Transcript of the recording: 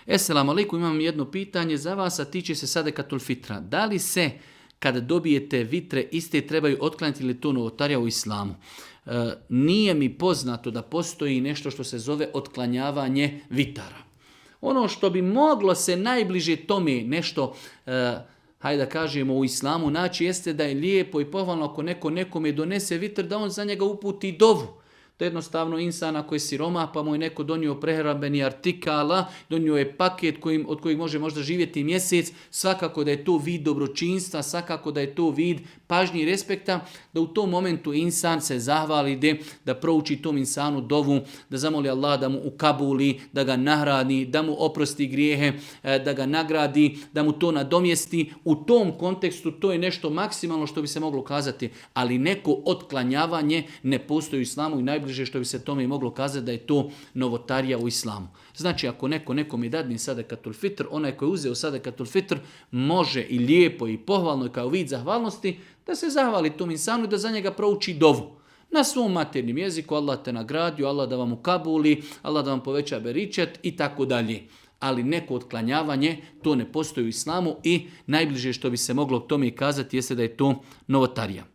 Esselamu alaikum, imam jedno pitanje za vas, a tiče se sadekatul fitra. Da li se, kada dobijete vitre, iste trebaju otklanjati ili to novotarija u islamu? Nije mi poznato da postoji nešto što se zove otklanjavanje vitara. Ono što bi moglo se najbliže tome nešto, hajde da kažemo, u islamu naći, jeste da je lijepo i pohvalno ako neko nekome donese vitr, da on za njega uputi dovu. To je jednostavno insan ako je siromah, pa mu je neko donio prehrambeni artikala, donio je paket od kojeg može možda živjeti mjesec, svakako da je to vid dobročinstva, svakako da je to vid pažnje i respekta, da u tom momentu insan se zahvali da prouči tom insanu dovu, da zamoli Allah da mu ukabuli, da ga nahrani, da mu oprosti grijehe, da ga nagradi, da mu to nadomjesti. U tom kontekstu to je nešto maksimalno što bi se moglo kazati, ali neko otklanjavanje ne postoji u islamu i najbliže što bi se tome moglo kazati da je to novotarija u islamu. Znači ako neko nekom je dadne sadekatul fitr, onaj koji je uzeo sadekatul fitr može i lijepo i pohvalno i kao vid zahvalnosti da se zahvali tom insanu i da za njega prouči dovu. Na svom maternjem jeziku, Allah te nagradio, Allah da vam ukabuli, Allah da vam poveća beričet i tako dalje. Ali neko otklanjavanje, to ne postoji u islamu i najbliže što bi se moglo tome kazati jeste da je to novotarija.